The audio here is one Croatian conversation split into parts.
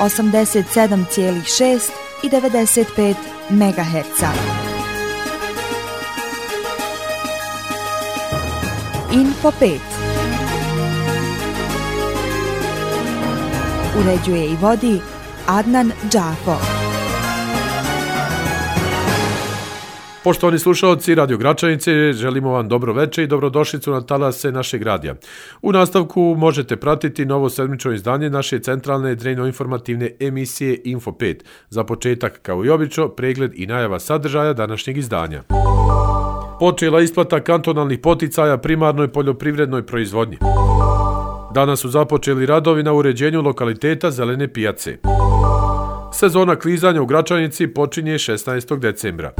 87,6 i 95 MHz. Info 5. Uređuje i vodi Adnan Džafo. Poštovani slušalci Radio Gračanice, želimo vam dobro večer i dobrodošlicu na talase našeg radija. U nastavku možete pratiti novo sedmično izdanje naše centralne drejno-informativne emisije Info 5. Za početak, kao i obično, pregled i najava sadržaja današnjeg izdanja. Počela isplata kantonalnih poticaja primarnoj poljoprivrednoj proizvodnji. Danas su započeli radovi na uređenju lokaliteta Zelene pijace. Sezona klizanja u Gračanici počinje 16. decembra.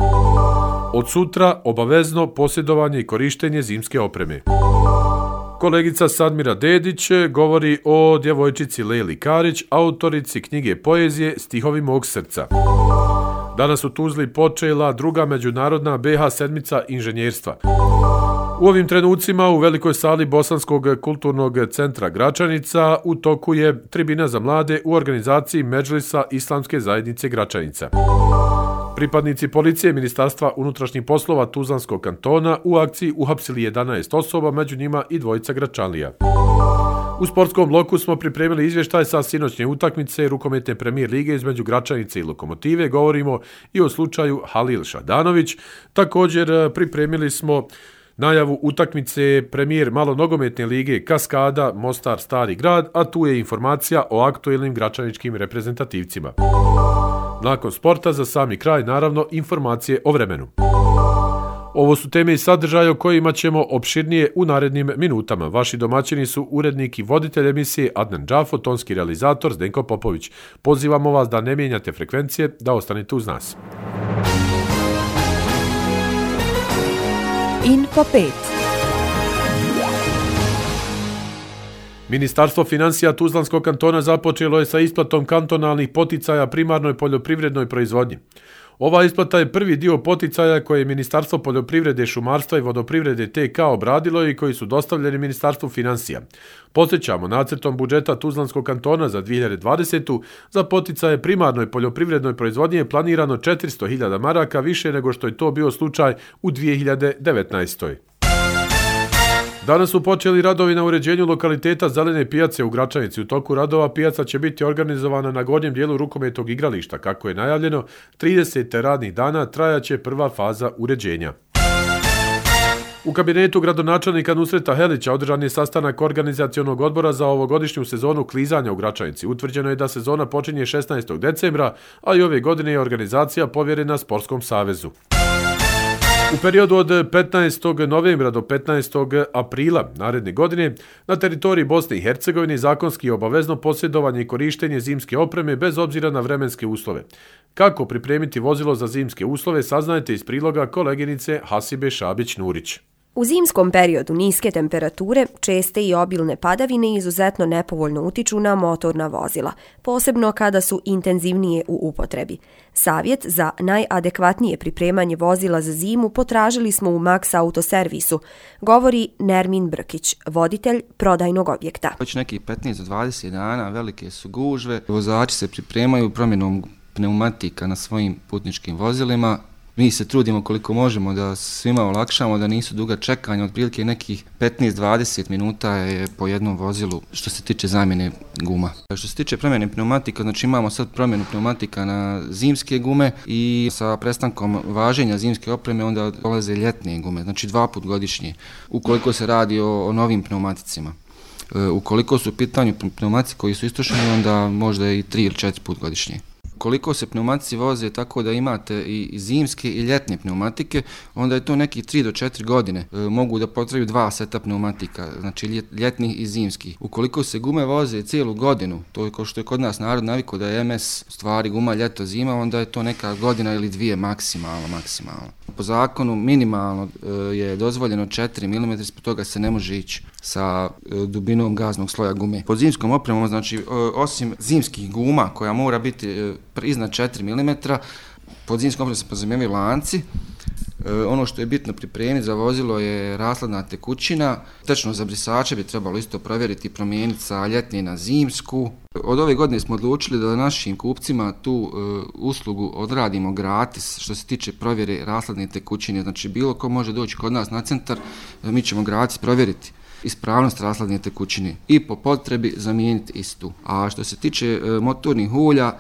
Od sutra obavezno posjedovanje i korištenje zimske opreme. Kolegica Sadmira Dedić govori o djevojčici Leli Karić, autorici knjige poezije Stihovi mog srca. Danas u Tuzli počela druga međunarodna BH sedmica inženjerstva. U ovim trenucima u velikoj sali Bosanskog kulturnog centra Gračanica u toku je tribina za mlade u organizaciji Medžlisa Islamske zajednice Gračanica. Pripadnici policije Ministarstva unutrašnjih poslova Tuzlanskog kantona u akciji uhapsili 11 osoba, među njima i dvojica Gračanlija. U sportskom bloku smo pripremili izvještaj sa sinoćnje utakmice rukometne premijer lige između Gračanice i Lokomotive. Govorimo i o slučaju Halil Šadanović. Također pripremili smo najavu utakmice premijer malonogometne lige Kaskada Mostar Stari grad, a tu je informacija o aktuelnim gračaničkim reprezentativcima. Nakon sporta, za sami kraj, naravno, informacije o vremenu. Ovo su teme i sadržaje o kojima ćemo opširnije u narednim minutama. Vaši domaćini su urednik i voditelj emisije Adnan Džafo, tonski realizator Zdenko Popović. Pozivamo vas da ne mijenjate frekvencije, da ostanete uz nas. Info 5. Ministarstvo financija Tuzlanskog kantona započelo je sa isplatom kantonalnih poticaja primarnoj poljoprivrednoj proizvodnji. Ova isplata je prvi dio poticaja koje je Ministarstvo poljoprivrede, šumarstva i vodoprivrede TK obradilo i koji su dostavljeni Ministarstvu financija. Podsjećamo, nacrtom budžeta Tuzlanskog kantona za 2020. za poticaje primarnoj poljoprivrednoj proizvodnji je planirano 400.000 maraka više nego što je to bio slučaj u 2019. Danas su počeli radovi na uređenju lokaliteta Zelene pijace u Gračanici. U toku radova pijaca će biti organizovana na gornjem dijelu rukometnog igrališta. Kako je najavljeno, 30 radnih dana trajaće prva faza uređenja. U kabinetu gradonačelnika Nusreta Helića održan je sastanak organizacionog odbora za ovogodišnju sezonu klizanja u Gračanici. Utvrđeno je da sezona počinje 16. decembra, a i ove godine je organizacija povjerena Sportskom savezu. U periodu od 15. novembra do 15. aprila naredne godine na teritoriji Bosne i Hercegovine zakonski je obavezno posjedovanje i korištenje zimske opreme bez obzira na vremenske uslove. Kako pripremiti vozilo za zimske uslove saznajte iz priloga koleginice Hasibe Šabić-Nurić. U zimskom periodu niske temperature, česte i obilne padavine izuzetno nepovoljno utiču na motorna vozila, posebno kada su intenzivnije u upotrebi. Savjet za najadekvatnije pripremanje vozila za zimu potražili smo u Max Autoservisu, govori Nermin Brkić, voditelj prodajnog objekta. Već nekih 15 do 20 dana velike su gužve, vozači se pripremaju promjenom pneumatika na svojim putničkim vozilima. Mi se trudimo koliko možemo da svima olakšamo, da nisu duga čekanja, otprilike nekih 15-20 minuta je po jednom vozilu što se tiče zamjene guma. Što se tiče promjene pneumatika, znači imamo sad promjenu pneumatika na zimske gume i sa prestankom važenja zimske opreme onda dolaze ljetne gume, znači 2 puta godišnje, ukoliko se radi o novim pneumaticima. Ukoliko su u pitanju pneumatici koji su istrošeni, onda možda i 3 ili 4 puta godišnje. Koliko se pneumatici voze tako da imate i zimske i ljetne pneumatike, onda je to nekih 3 do 4 godine. Mogu da potrebaju 2 seta pneumatika, znači ljetnih i zimskih. Ukoliko se gume voze cijelu godinu, to je kao što je kod nas narod navikao da je MS stvari guma ljeto zima, onda je to neka godina ili 2 maksimalno. Po zakonu minimalno je dozvoljeno 4 mm, ispod toga se ne može ići sa dubinom gaznog sloja gume. Pod zimskom opremom, znači osim zimskih guma koja mora biti iznad 4 mm, pod zimskom opremom se podrazumijevaju lanci, Ono što je bitno pripremiti za vozilo je rashladna tekućina. Tečno za brisače bi trebalo isto provjeriti i promijeniti sa ljetne na zimsku. Od ove godine smo odlučili da našim kupcima tu uslugu odradimo gratis što se tiče provjere rashladne tekućine. Znači bilo ko može doći kod nas na centar, mi ćemo gratis provjeriti ispravnost rashladne tekućine i po potrebi zamijeniti istu. A što se tiče motornih ulja,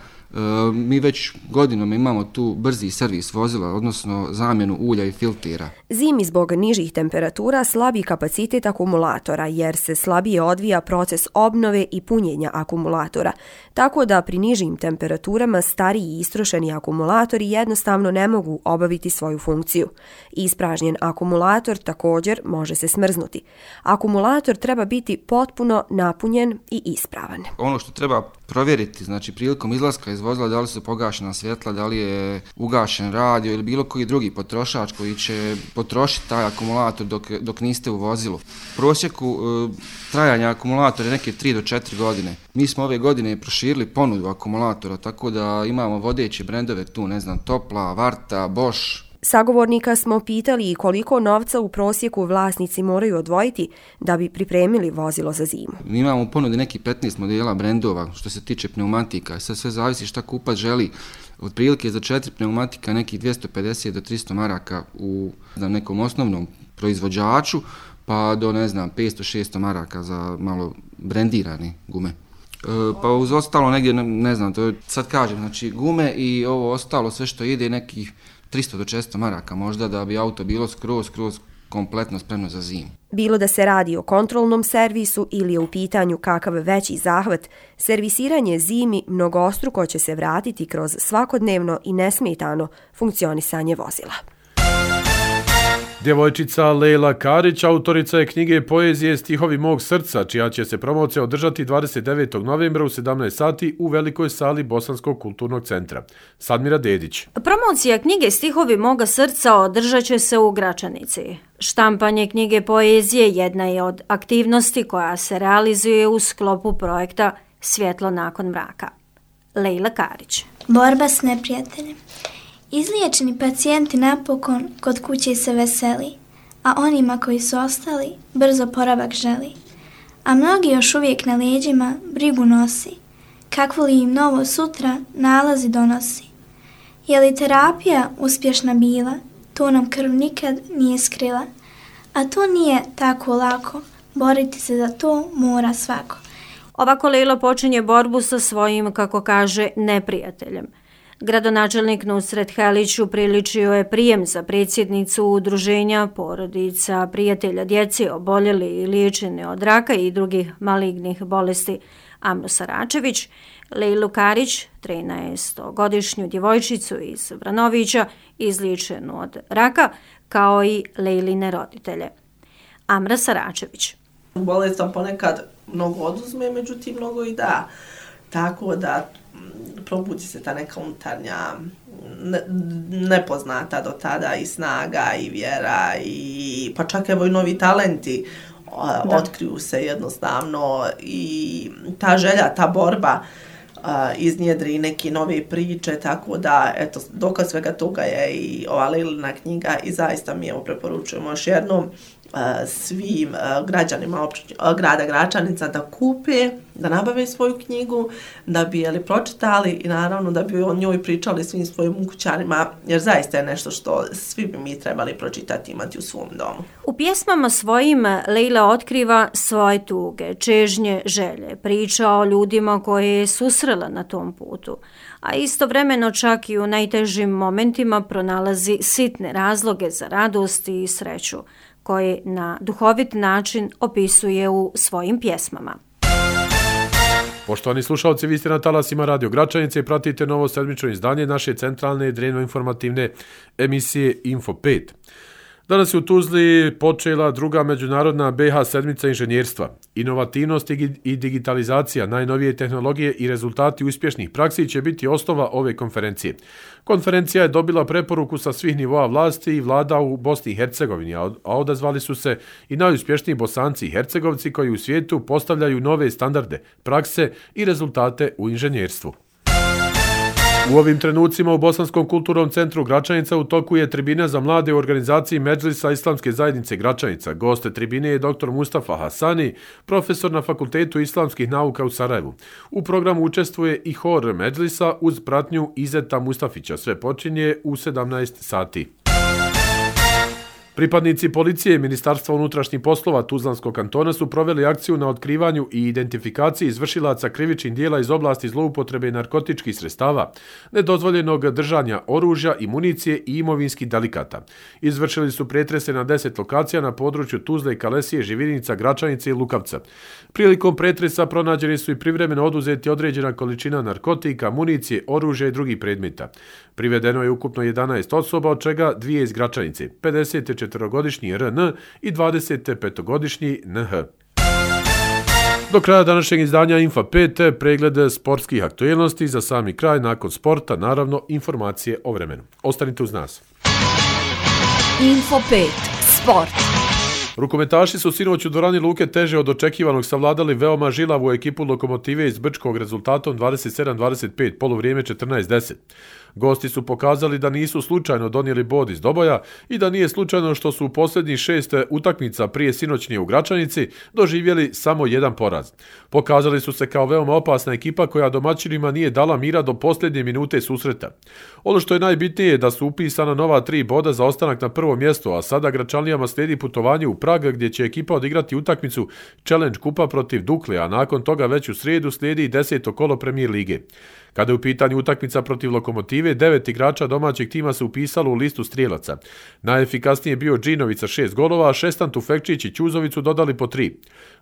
mi već godinom imamo tu brzi servis vozila, odnosno zamjenu ulja i filtera. Zimi zbog nižih temperatura slabi kapacitet akumulatora jer se slabije odvija proces obnove i punjenja akumulatora, tako da pri nižim temperaturama stariji i istrošeni akumulatori jednostavno ne mogu obaviti svoju funkciju. Ispražnjen akumulator također može se smrznuti. Akumulator treba biti potpuno napunjen i ispravan. Ono što treba provjeriti, znači prilikom izlaska iz vozila, da li su pogašena svjetla, da li je ugašen radio ili bilo koji drugi potrošač koji će potrošiti taj akumulator dok niste u vozilu. U prosjeku trajanja akumulatora je neke 3 do 4 godine. Mi smo ove godine proširili ponudu akumulatora, tako da imamo vodeće brendove tu, ne znam, Topla, Varta, Bosch. Sagovornika smo pitali i koliko novca u prosjeku vlasnici moraju odvojiti da bi pripremili vozilo za zimu. Mi imamo u ponudi neki 15 modela brendova što se tiče pneumatika. Sad sve zavisi šta kupac želi. Otprilike za 4 pneumatika nekih 250 do 300 maraka u nekom osnovnom proizvođaču, pa do 500-600 maraka za malo brendirane gume. Pa uz ostalo negdje, ne znam, to sad kažem, znači gume i ovo ostalo sve što ide nekih 300 do 400 maraka možda da bi auto bilo skroz kompletno spremno za zimu. Bilo da se radi o kontrolnom servisu ili je u pitanju kakav veći zahvat, servisiranje zimi mnogostruko će se vratiti kroz svakodnevno i nesmetano funkcionisanje vozila. Djevojčica Lejla Karić, autorica je knjige poezije Stihovi mog srca, čija će se promocija održati 29. novembra u 17 sati u velikoj sali Bosanskog kulturnog centra. Sadmira Dedić. Promocija knjige Stihovi moga srca održat će se u Gračanici. Štampanje knjige poezije jedna je od aktivnosti koja se realizuje u sklopu projekta Svjetlo nakon mraka. Lejla Karić. Borba s neprijateljem. Izliječeni pacijenti napokon kod kuće se veseli, a onima koji su ostali brzo poravak želi. A mnogi još uvijek na leđima brigu nosi, kakvo li im novo sutra nalazi donosi. Je li terapija uspješna bila, to nam krv nikad nije skrila, a to nije tako lako, boriti se za to mora svako. Ovako Lejla počinje borbu sa svojim, kako kaže, neprijateljem. Gradonačelnik Nusret Helić upriličio je prijem za predsjednicu udruženja porodica prijatelja djece oboljeli i liječeni od raka i drugih malignih bolesti Amru Saračević, Lejlu Karić, 13-godišnju djevojčicu iz Vranovića, izliječenu od raka, kao i Lejline roditelje. Amra Saračević. Bolest vam ponekad mnogo oduzme, međutim mnogo i da. Tako da probudi se ta neka unutarnja nepoznata do tada i snaga i vjera i pa čak evo i novi talenti otkriju se jednostavno i ta želja, ta borba iznjedri neke nove priče, tako da eto, dokaz svega toga je i ova Lejlina knjiga i zaista mi preporučujemo još jednom svim građanima grada Gračanica da kupe, da nabave svoju knjigu, da bi je pročitali i naravno da bi o njoj pričali svim svojim ukućanima, jer zaista je nešto što svi bi mi trebali pročitati i imati u svom domu. U pjesmama svojim Lejla otkriva svoje tuge, čežnje, želje, priča o ljudima koje je susrela na tom putu, a istovremeno čak i u najtežim momentima pronalazi sitne razloge za radost i sreću, koje na duhovit način opisuje u svojim pjesmama. Poštovani slušalci, vi ste na talasima Radio Gračanice i pratite novo sedmično izdanje naše centralne drevno-informativne emisije Info 5. Danas je u Tuzli počela druga međunarodna BH sedmica inženjerstva. Inovativnost i digitalizacija, najnovije tehnologije i rezultati uspješnih praksi će biti osnova ove konferencije. Konferencija je dobila preporuku sa svih nivoa vlasti i vlada u Bosni i Hercegovini, a odazvali su se i najuspješniji Bosanci i Hercegovci koji u svijetu postavljaju nove standarde, prakse i rezultate u inženjerstvu. U ovim trenucima u Bosanskom kulturnom centru Gračanica u toku je tribina za mlade u organizaciji Medžlisa Islamske zajednice Gračanica. Goste tribine je dr. Mustafa Hasani, profesor na Fakultetu islamskih nauka u Sarajevu. U programu učestvuje i hor Medžlisa uz pratnju Izeta Mustafića. Sve počinje u 17 sati. Pripadnici policije i Ministarstva unutrašnjih poslova Tuzlanskog kantona su proveli akciju na otkrivanju i identifikaciji izvršilaca krivičnih dijela iz oblasti zloupotrebe narkotičkih sredstava, nedozvoljenog držanja oružja i municije i imovinskih delikata. Izvršili su pretrese na 10 lokacija na području Tuzle, Kalesije, Živinica, Gračanice i Lukavca. Prilikom pretresa pronađeni su i privremeno oduzeti određena količina narkotika, municije, oružja i drugih predmeta. Privedeno je ukupno 11 osoba, od čega 2 iz Gračanice, 54-godišnji RN i 25-godišnji NH. Do kraja današnjeg izdanja Info 5 pregled sportskih aktualnosti. Za sami kraj, nakon sporta, naravno, informacije o vremenu. Ostanite uz nas. Info 5 Sport. Rukometaši su sinoć u dvorani Luke Teže od očekivanog savladali veoma žilavu ekipu Lokomotive iz Brčkog rezultatom 27-25, poluvrijeme 14-10. Gosti su pokazali da nisu slučajno donijeli bod iz Doboja i da nije slučajno što su u posljednjih 6 utakmica prije sinoćnje u Gračanici doživjeli samo jedan poraz. Pokazali su se kao veoma opasna ekipa koja domaćinima nije dala mira do posljednje minute susreta. Ono što je najbitnije je da su upisana nova 3 boda za ostanak na prvo mjesto, a sada Gračanlijama slijedi putovanje u Prag gdje će ekipa odigrati utakmicu Challenge kupa protiv Dukle, a nakon toga već u srijedu slijedi 10. kolo Premier lige. Kada je u pitanju utakmica protiv Lokomotive, 9 igrača domaćeg tima se upisalo u listu strijelaca. Najefikasnije je bio Džinović sa 6 golova, a Šestan, Tufekčić i Ćuzovicu dodali po 3.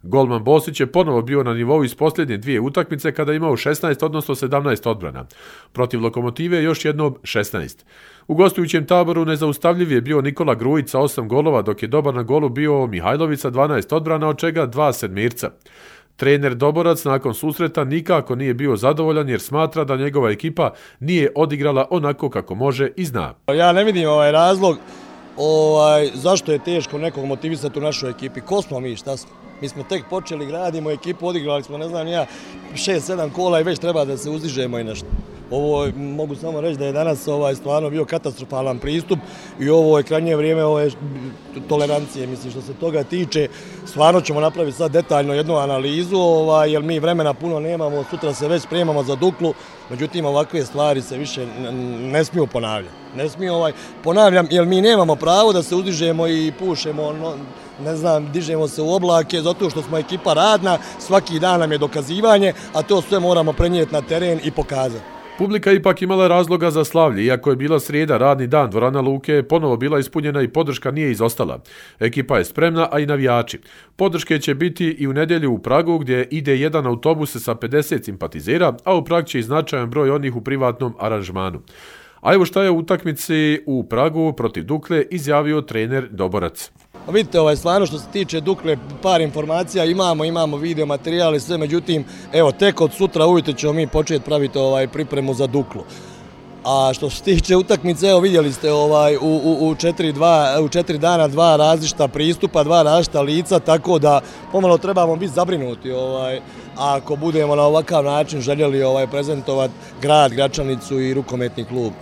Golman Bosić je ponovo bio na nivou iz posljednje 2 utakmice kada je imao 16, odnosno 17 odbrana. Protiv Lokomotive još jednom 16. U gostujućem taboru nezaustavljiv je bio Nikola Grujić sa 8 golova, dok je dobar na golu bio Mihajlović sa 12 odbrana, od čega 2 sedmirca. Trener Doborac nakon susreta nikako nije bio zadovoljan jer smatra da njegova ekipa nije odigrala onako kako može i zna. Ja ne vidim razlog zašto je teško nekog motivisati u našoj ekipi. Ko smo mi, šta smo? Mi smo tek počeli, gradimo ekipu, odigrali smo, 6-7 kola i već treba da se uzdižemo i nešto. Ovo mogu samo reći da je danas stvarno bio katastrofalan pristup i ovo je krajnje vrijeme tolerancije. Mislim, što se toga tiče, stvarno ćemo napraviti sad detaljno jednu analizu, jer mi vremena puno nemamo, sutra se već spremamo za Duklu, međutim ovakve stvari se više ne smiju ponavljati. Ne smiju ponavljam, jer mi nemamo pravo da se uzdižemo i pušemo, dižemo se u oblake, zato što smo ekipa radna, svaki dan nam je dokazivanje, a to sve moramo prenijeti na teren i pokazati. Publika ipak imala razloga za slavlje, iako je bila srijeda, radni dan, dvorana Luke je ponovo bila ispunjena i podrška nije izostala. Ekipa je spremna, a i navijači. Podrške će biti i u nedjelju u Pragu, gdje ide jedan autobus sa 50 simpatizera, a u Prag će i značajan broj onih u privatnom aranžmanu. A evo šta je u utakmici u Pragu protiv Dukle izjavio trener Doborac. Vidite, stvarno što se tiče Dukle, par informacija imamo video materijale, sve, međutim, evo, tek od sutra ujutro ćemo mi početi praviti pripremu za Duklu. A što se tiče utakmice, evo vidjeli ste u 4 dana 2 različita pristupa, 2 različita lica, tako da pomalo trebamo biti zabrinuti ako budemo na ovakav način željeli prezentovati grad, Gračanicu i rukometni klub.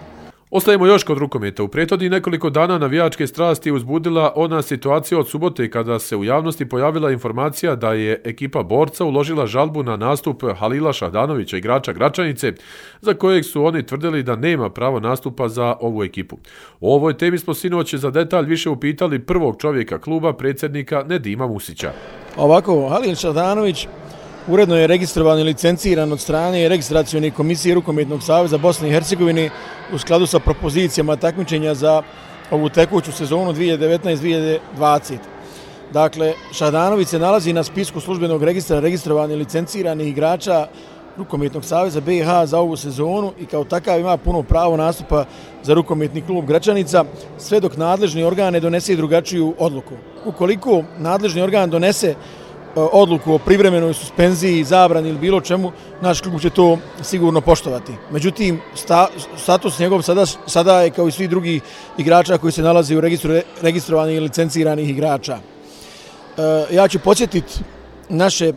Ostajemo još kod rukometa. U prethodnih nekoliko dana navijačke strasti je uzbudila ona situacija od subote kada se u javnosti pojavila informacija da je ekipa Borca uložila žalbu na nastup Halila Šahdanovića, igrača Gračanice, za kojeg su oni tvrdili da nema pravo nastupa za ovu ekipu. O ovoj temi smo sinoć za detalj više upitali prvog čovjeka kluba, predsjednika Nedima Musića. Ovako, Halil Šahdanović uredno je registrovan i licenciran od strane registracione komisije Rukometnog saveza Bosne i Hercegovine u skladu sa propozicijama takmičenja za ovu tekuću sezonu 2019-2020. Dakle, Šahdanović se nalazi na spisku službenog registra registrovanih i licenciranih igrača Rukometnog saveza BiH za ovu sezonu i kao takav ima puno pravo nastupa za rukometni klub Gračanica, sve dok nadležni organ ne donese drugačiju odluku. Ukoliko nadležni organ donese odluku o privremenoj suspenziji, zabrani ili bilo čemu, naš klub će to sigurno poštovati. Međutim, status njegov sada je kao i svi drugi igrača koji se nalaze u registru registrovanih i licenciranih igrača. Ja ću podsjetiti naše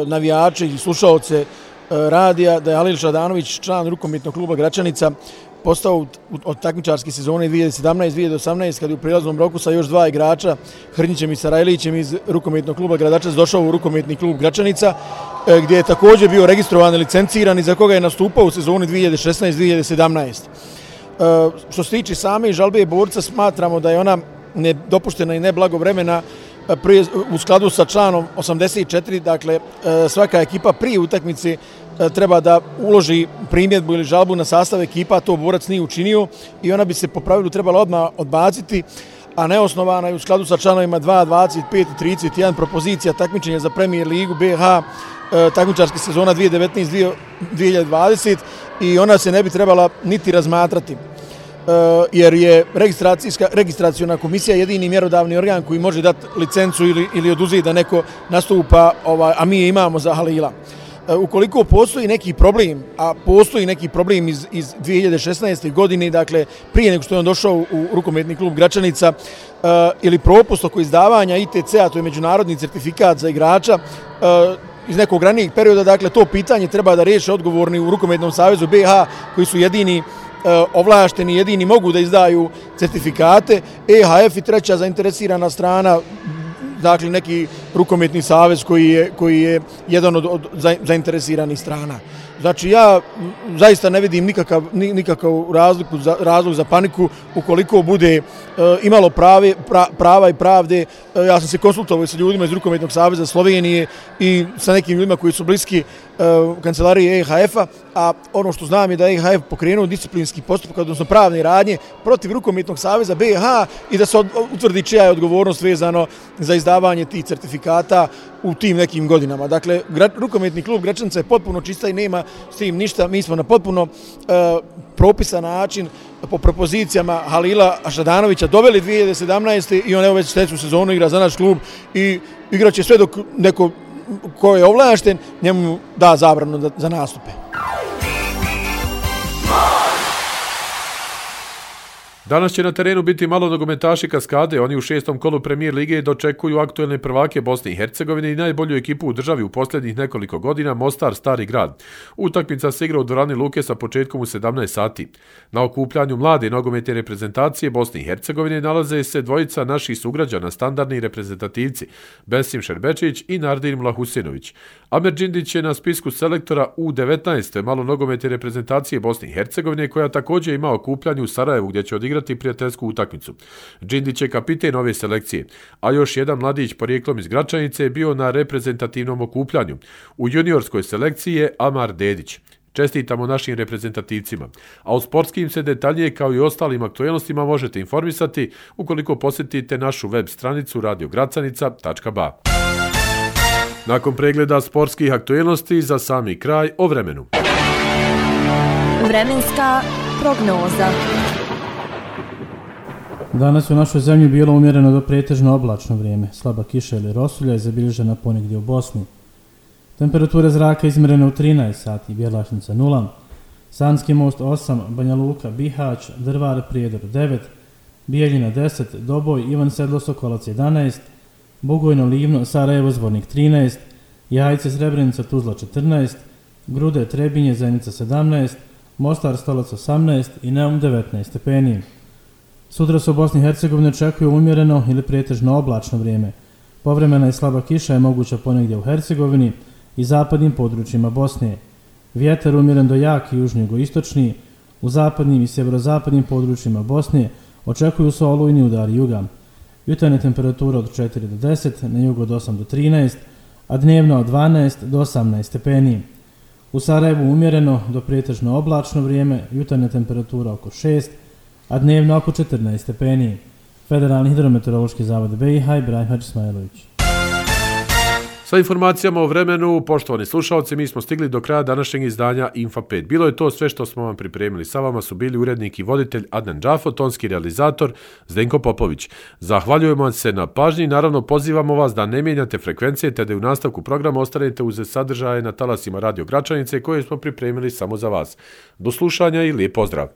navijače i slušaoce radija da je Halil Šadanović, član rukometnog kluba Gračanica, postao od takmičarske sezone 2017-2018 kad je u prijelaznom roku sa još 2 igrača, Hrnjićem i Sarajlićem iz rukometnog kluba Gradačac došao u rukometni klub Gračanica, gdje je također bio registrovan i licenciran i za koga je nastupao u sezoni 2016-2017. Što se tiče same žalbe borca, smatramo da je ona nedopuštena i neblagovremena u skladu sa članom 84, dakle svaka ekipa prije utakmice treba da uloži primjedbu ili žalbu na sastav ekipa, to borac nije učinio i ona bi se po pravilu trebala odmah odbaciti, a neosnovana je u skladu sa članovima 2, 25 i 31 propozicija takmičenja za Premier ligu BH takmičarske sezona 2019-2020 i ona se ne bi trebala niti razmatrati. Jer je registraciona komisija jedini mjerodavni organ koji može dati licencu ili oduzeti da neko nastupa, a mi je imamo za Halila. Ukoliko postoji neki problem, a postoji neki problem iz 2016. godine, dakle prije nego što je on došao u rukometni klub Gračanica, ili propust oko izdavanja ITC-a, to je međunarodni certifikat za igrača, iz nekog ranijeg perioda, dakle to pitanje treba da riješe odgovorni u Rukometnom savezu BH koji su jedini ovlašteni, jedini mogu da izdaju certifikate, EHF i treća zainteresirana strana, dakle neki rukometni savez koji je jedan od zainteresiranih strana. Znači ja zaista ne vidim nikakav razlog za paniku ukoliko bude imalo prava i pravde. Ja sam se konsultovao sa ljudima iz Rukometnog saveza Slovenije i sa nekim ljudima koji su bliski kancelarije EHF-a, a ono što znam je da je EHF pokrenuo disciplinski postupak, odnosno pravne radnje protiv Rukometnog saveza BH i da se utvrdi čija je odgovornost vezano za izdavanje tih certifikata u tim nekim godinama. Dakle, Rukometni klub Gračanica je potpuno čista i nema s tim ništa. Mi smo na potpuno propisan način po propozicijama Halila Šadanovića doveli 2017. i on evo već sljedeću sezonu igra za naš klub i igraće sve dok neko ko je ovlašten njemu da zabranu za nastupe. Danas će na terenu biti malo nogometaši Kaskade. Oni u 6. kolu Premier lige dočekuju aktuelne prvake Bosne i Hercegovine i najbolju ekipu u državi u posljednjih nekoliko godina, Mostar Stari grad. Utakmica se igra u dvorani Luke sa početkom u 17 sati. Na okupljanju mlade nogometne reprezentacije Bosne i Hercegovine nalaze se dvojica naših sugrađana, standardni reprezentativci, Besim Šerbečić i Nardin Mlahusinović. Amer Džindić je na spisku selektora U19 malo nogometne reprezentacije Bosne i Hercegovine, koja također ima okupljanje u Sarajevu gdje će odigrati prijateljsku utakmicu. Džindić je kapiten ove selekcije, a još jedan mladić porijeklom iz Gračanice je bio na reprezentativnom okupljanju. U juniorskoj selekciji je Amar Dedić. Čestitamo našim reprezentativcima. A o sportskim se detaljnije kao i ostalim aktualnostima možete informisati ukoliko posjetite našu web stranicu radiogracanica.ba. Nakon pregleda sportskih aktualnosti za sami kraj o vremenu. Vremenska prognoza. Danas u našoj zemlji bilo umjereno do pretežno oblačno vrijeme. Slaba kiša ili rosulja je zabilježena ponegdje u Bosni. Temperatura zraka izmjerena u 13 sati, Bjelašnica 0, Sanski most 8, Banja Luka, Bihać, Drvar, Prijedor 9, Bijeljina 10, Doboj, Ivan Sedlo, Sokolac 11, Bugojno, Livno, Sarajevo, Zvornik 13, Jajce, Srebrenica, Tuzla 14, Grude, Trebinje, Zenica 17, Mostar, Stolac 18 i Neum 19 stepeni. Sutra se u Bosni i Hercegovini očekuje umjereno ili pretežno oblačno vrijeme. Povremena i slaba kiša je moguća ponegdje u Hercegovini i zapadnim područjima Bosne. Vjetar umjeren do jak i južno-jugoistočni, u zapadnim i sjeverozapadnim područjima Bosne očekuju se olujni udari juga. Jutarnja temperatura od 4 do 10, na jugu od 8 do 13, a dnevno od 12 do 18 stepeni. U Sarajevu umjereno do pretežno oblačno vrijeme, jutarnja temperatura oko 6, a dnevno oko 14 stepeni. Federalni hidrometeorološki zavod BiH, Ibrahim Hadži Ismailović. Sa informacijama o vremenu, poštovani slušalci, mi smo stigli do kraja današnjeg izdanja Info 5. Bilo je to sve što smo vam pripremili. Sa vama su bili urednik i voditelj Adnan Džafo, tonski realizator Zdenko Popović. Zahvaljujemo se na pažnji i naravno pozivamo vas da ne mijenjate frekvencije te da u nastavku programa ostanete uz sadržaje na talasima Radio Gračanice koje smo pripremili samo za vas. Do slušanja i lijep pozdrav!